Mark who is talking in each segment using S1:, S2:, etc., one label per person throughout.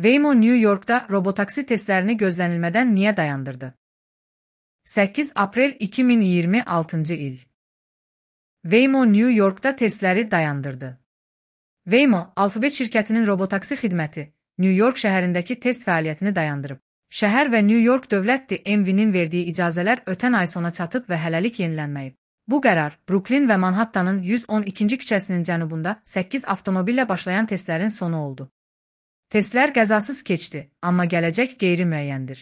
S1: Waymo New York'da robotaksi testlerini gözlənilmədən niyə dayandırdı? 8 aprel 2026 il. Waymo New York'da testləri dayandırdı. Waymo, Alphabet şirkətinin robotaksi xidməti, New York şəhərindəki test fəaliyyətini dayandırıb. Şəhər və New York Dövlət DMV-nin verdiyi icazələr ötən ay sona çatıb və hələlik yenilənməyib. Bu qərar, Brooklyn və Manhattanın 112-ci küçəsinin cənubunda 8 avtomobillə başlayan testlərin sonu oldu. Testlər qəzasız keçdi, amma gələcək qeyri-müəyyəndir.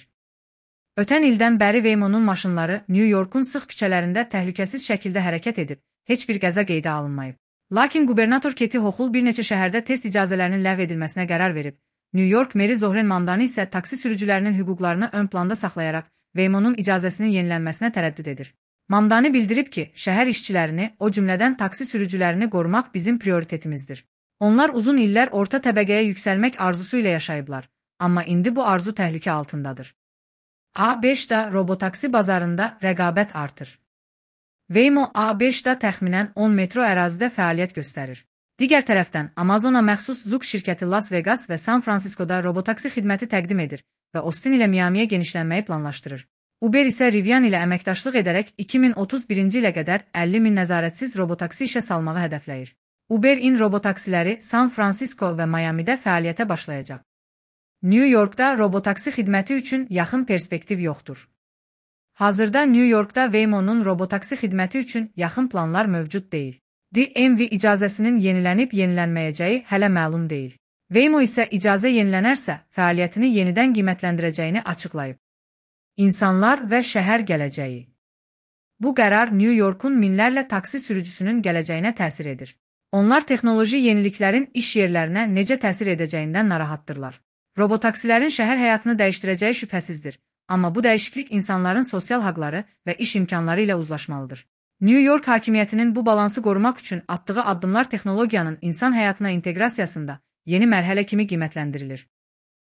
S1: Ötən ildən bəri Waymo'nun maşınları New York'un sıx küçələrində təhlükəsiz şəkildə hərəkət edib, heç bir qəza qeydə alınmayıb. Lakin qubernator Kathy Hochul bir neçə şəhərdə test icazələrinin ləğv edilməsinə qərar verib. New York meri Zohran Mamdani isə taksi sürücülərinin hüquqlarını ön planda saxlayaraq Waymo'nun icazəsinin yenilənməsinə tərəddüd edir. Mamdani bildirib ki, şəhər işçilərini, o cümlədən taksi sürücülərini qorumaq bizim prioritetimizdir. Onlar uzun illər orta təbəqəyə yüksəlmək arzusu ilə yaşayıblar, amma indi bu arzu təhlükə altındadır. A5-da robotaksi bazarında rəqabət artır. Waymo A5-da təxminən 10 metro ərazidə fəaliyyət göstərir. Digər tərəfdən, Amazona məxsus Zug şirkəti Las Vegas və San Francisco'da robotaksi xidməti təqdim edir və Austin ilə Miami'yə genişlənməyi planlaşdırır. Uber isə Rivian ilə əməkdaşlıq edərək 2031-ci ilə qədər 50 min nəzarətsiz robotaksi işə salmağı hədəfləyir. Uber-in robotaksiləri San Francisco və Miami'də fəaliyyətə başlayacaq. New York'da robotaksi xidməti üçün yaxın perspektiv yoxdur. Hazırda New York'da Waymo'nun robotaksi xidməti üçün yaxın planlar mövcud deyil. DMV icazəsinin yenilənib yenilənməyəcəyi hələ məlum deyil. Waymo isə icazə yenilənərsə, fəaliyyətini yenidən qiymətləndirəcəyini açıqlayıb. İnsanlar və şəhər gələcəyi. Bu qərar New York'un minlərlə taksi sürücüsünün gələcəyinə təsir edir. Onlar texnoloji yeniliklərin iş yerlərinə necə təsir edəcəyindən narahatdırlar. Robotaksilərin şəhər həyatını dəyişdirəcəyi şübhəsizdir, amma bu dəyişiklik insanların sosial haqları və iş imkanları ilə uzlaşmalıdır. New York hakimiyyətinin bu balansı qorumaq üçün atdığı addımlar texnologiyanın insan həyatına inteqrasiyasında yeni mərhələ kimi qiymətləndirilir.